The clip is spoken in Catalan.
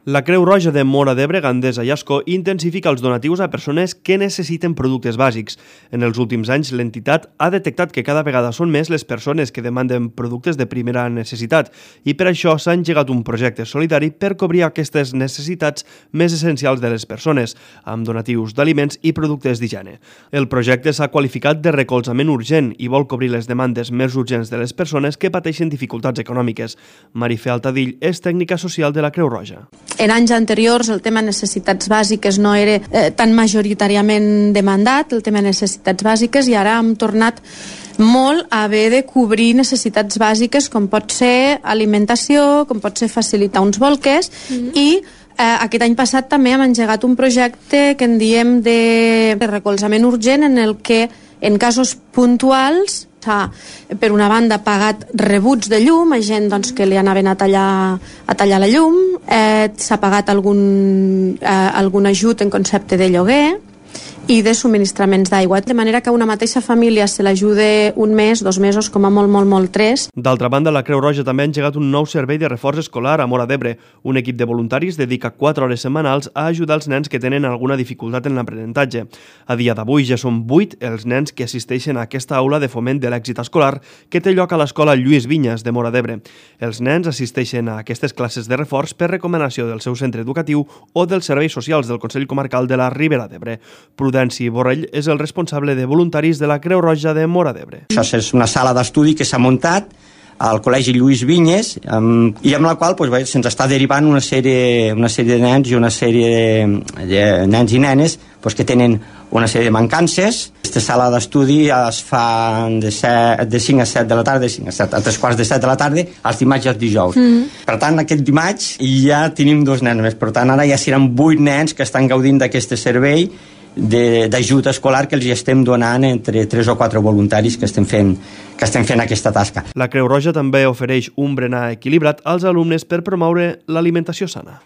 La Creu Roja de Móra d'Ebre, Gandesa i Ascó intensifica els donatius a persones que necessiten productes bàsics. En els últims anys, l'entitat ha detectat que cada vegada són més les persones que demanden productes de primera necessitat i per això s'ha engegat un projecte solidari per cobrir aquestes necessitats més essencials de les persones, amb donatius d'aliments i productes d'higiene. El projecte s'ha qualificat de recolzament urgent i vol cobrir les demandes més urgents de les persones que pateixen dificultats econòmiques. Marifé Altadill és tècnica social de la Creu Roja. En anys anteriors el tema necessitats bàsiques no era tan majoritàriament demandat, el tema necessitats bàsiques, i ara hem tornat molt a haver de cobrir necessitats bàsiques com pot ser alimentació, com pot ser facilitar uns bolquers i aquest any passat també hem engegat un projecte que en diem de recolzament urgent en el que en casos puntuals s'ha, per una banda, pagat rebuts de llum a gent que li anaven a tallar la llum, s'ha pagat algun ajut en concepte de lloguer i de subministraments d'aigua, de manera que a una mateixa família se l'ajude un mes, 2 mesos, com a molt 3. D'altra banda, la Creu Roja també ha engegat un nou servei de reforç escolar a Móra d'Ebre. Un equip de voluntaris dedica 4 hores setmanals a ajudar els nens que tenen alguna dificultat en l'aprenentatge. A dia d'avui ja són 8 els nens que assisteixen a aquesta aula de foment de l'èxit escolar que té lloc a l'escola Lluís Vinyes de Móra d'Ebre. Els nens assisteixen a aquestes classes de reforç per recomanació del seu centre educatiu o dels serveis socials del Consell Comarcal de la Ribera d'Ebre. Prudenci Borrell és el responsable de voluntaris de la Creu Roja de Móra d'Ebre. Això és una sala d'estudi que s'ha muntat al Col·legi Lluís Vinyes i amb la qual se'ns està derivant una sèrie de nens i una sèrie de nens i nenes que tenen una sèrie de mancances. Aquesta sala d'estudi es fa de 5 a 7 de la tarda, a 3:15 de la tarda, els dimarts i els dijous. Per tant, aquest dimarts ja tenim 2 nens més. Per tant, ara ja seran 8 nens que estan gaudint d'aquest servei d'ajut escolar que els estem donant entre 3 o 4 voluntaris que estem fent aquesta tasca. La Creu Roja també ofereix un berenar equilibrat als alumnes per promoure l'alimentació sana.